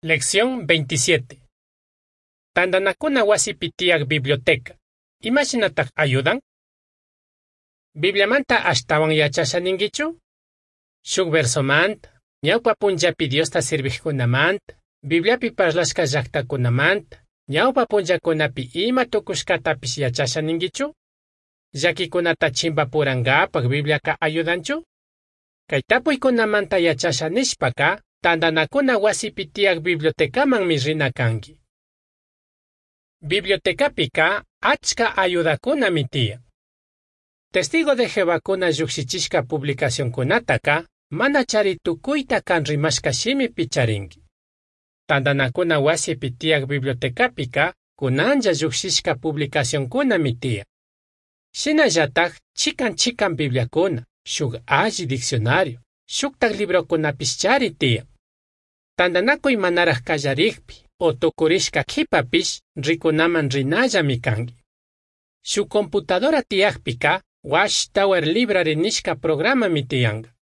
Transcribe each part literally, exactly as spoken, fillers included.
Lección veintisiete. Tandanakuna wasipi tiyaj biblioteca. Imashinataj ayudan? Bibliamanta ashtawan yachasha ninguichu? Shuk versomanta, ñawpa punllapi Diosta sirvijkunamanta, Bibliapi parlashka llaktakunamanta, ñawpa punllakunapi ima tukushkatapish yachasha ninguichu? Llakikunata chimpapurankapaj Bibliaka ayudanchu? Kay tapuykunamanta yachasha nishpaka, tandanakuna wasipi tiyaj bibliotecamanmi rina kanki. Bibliotecapika achka ayudakunami tiyan. Testigo de Jehovakuna llukshichishka publicacionkunataka mana chari tukuyta kan rimashka shimipi charinki. Tandanakuna wasipi tiyaj bibliotecapika kunanlla llukshishka publicacionkunami tiyan. Shinallataj chikan chikan Bibliakuna, shuk alli diccionario, shuktak librokunapish chari tiyan. Tandanakuy manaraj kallarikpi o tukurishka kipapish rikunaman rinallami kanki. Shuk computadora tiyakpika Watchtower Library nishka programami tiyanka.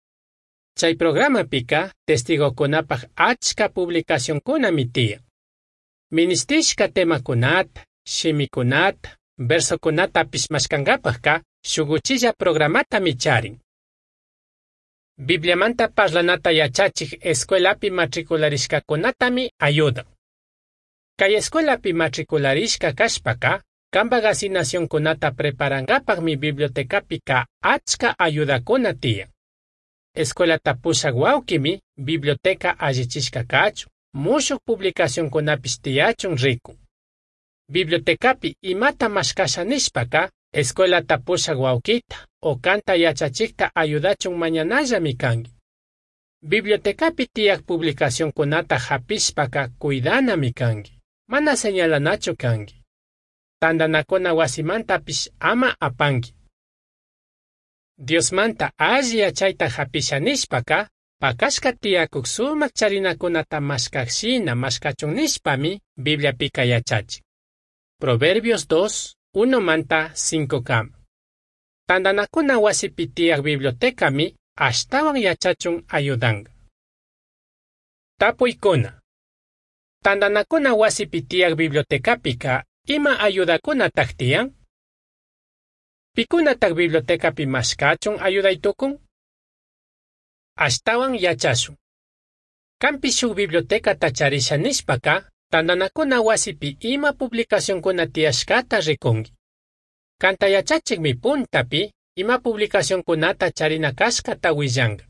Chay programapika testigokunapaj achka publicacionkunami tiyan. Ministishka temakunata, shimikunata, versokunatapish mashkankapajka shuk uchilla programatami charin. Bibliamanta parlanata yachachij escuelapi matricularishkakunatami ayudan. Kay escuelapi matricularishka kashpaka, kanpak asignacionkunata preparankapajmi bibliotecapika achka ayudakuna tiyan. Escuelata pushak wawkimi biblioteca allichishka kachun, mushuk publicacionkunapish tiyachun rikun. Bibliotecapi imata mashkasha nishpaka, escuelata pushak wawkita o kanta yachachikta ayudachun mañanallami kanki. Bibliotecapi tiyaj publicacionkunata hapishpaka cuidanami kanki, mana señalanachu kanki. Tandanakuna wasimantapish ama apanki. Diosmanta alli yachayta hapisha nishpaka, pakashka tiyakuk sumak charinakunata mashkak shina mashkachun nishpami Bibliapika yachachin. Proverbios dos, uno manta cinco kama. Tandanakuna wasipi tiyaj bibliotecami ashtawan yachachun ayudanka. Tapuykuna. Tandanakuna wasipi tiyaj bibliotecapika ima ayudakunataj tiyan? Pikunataj bibliotecapi mashkachun ayuday tukun? Ashtawan yachashun. Kanpish shuk bibliotecata charisha nishpaka, tandanakuna wasipi ima publicacionkuna tiyashkata rikunki. Kanta yachachikmi puntapi ima publicacionkunata charina kashkata willanka.